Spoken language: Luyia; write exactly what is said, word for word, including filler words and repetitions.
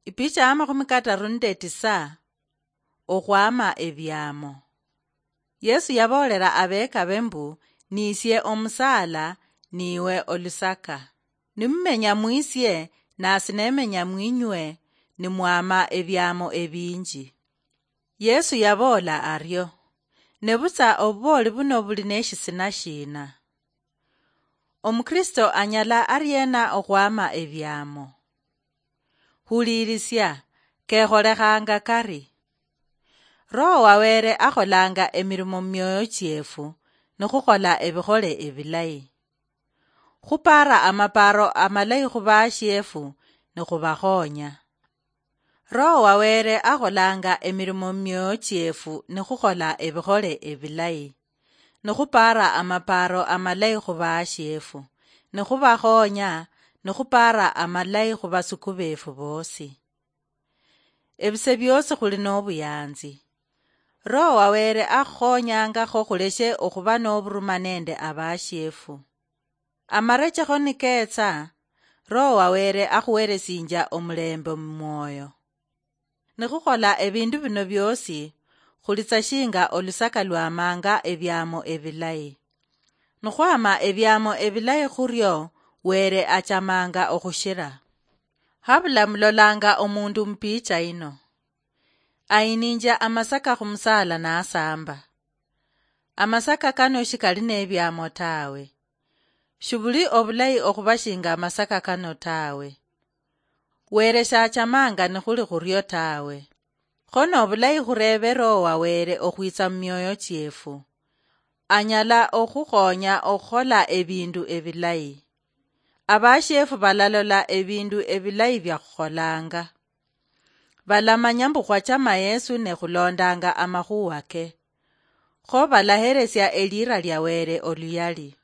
Ipicha ya makhumi kataru nende tisa. Okhwama ebiamo. Yesu yaboolera abeekabe mbu, "Niisie omusaala, niiwe olusaka. Nimumenya mwisie, nasi nemenya mwinywe, nimwama ebiamo ebinji." Yesu yaboola ario. Nebutsa obubooli buno buli neshisina shiina? Omukristo anyala ariena okhwama ebiamo? Huliirisia, kekholekhanga kari. Roho wa Wele akholanga emirimo mumioyo chiefu, nikhukhola ebikhole ebilayi. Khupaara amapaaro amalayi khubashiefu, nikhubakhonya. Roho wa Wele akholanga emirimo mumioyo chiefu nikhukhola ebikhole ebilayi, nikhupaara amapaaro amalayi khubashiefu, nikhubakhonya, nikhupaara amalayi khubasuku befu bosi. Ebise biosi khuli nobuyanzi. Roho wa Wele akhukhonyangakho khuleshe okhuba noburuma nende abashiefu. Amarechekho niketsa, Roho wa Wele akhuwelesinja omulembe mumwoyo. Nikhukhola ebindu bino biosi, khulitsa shinga olusaka lwamanga ebiamo ebilayi. Nikhwama ebiamo ebilayi khurio, Wele achamanga okhushira. Habula mulolanga omundu mupicha ino. Ayininja amasaka khumusala nasamba. Amasaka kano shikali nebiamo tawe. Shibuli obulayi okhuba shinga amasaka kano tawe. Wele shachamanga nikhuli khurio tawe. Kho nobulayi khurebe Roho wa Wele okhwitsa mumioyo chiefu. Anyala okhukhonya okhukhola ebindu ebilayi. Abashiefu balalola ebindu ebilayi biakhukholanga. Balamanya mbu khwachama Yesu ne khulondanga amakhuwa ke. Kho balaheresia elira lia Wele oluyali.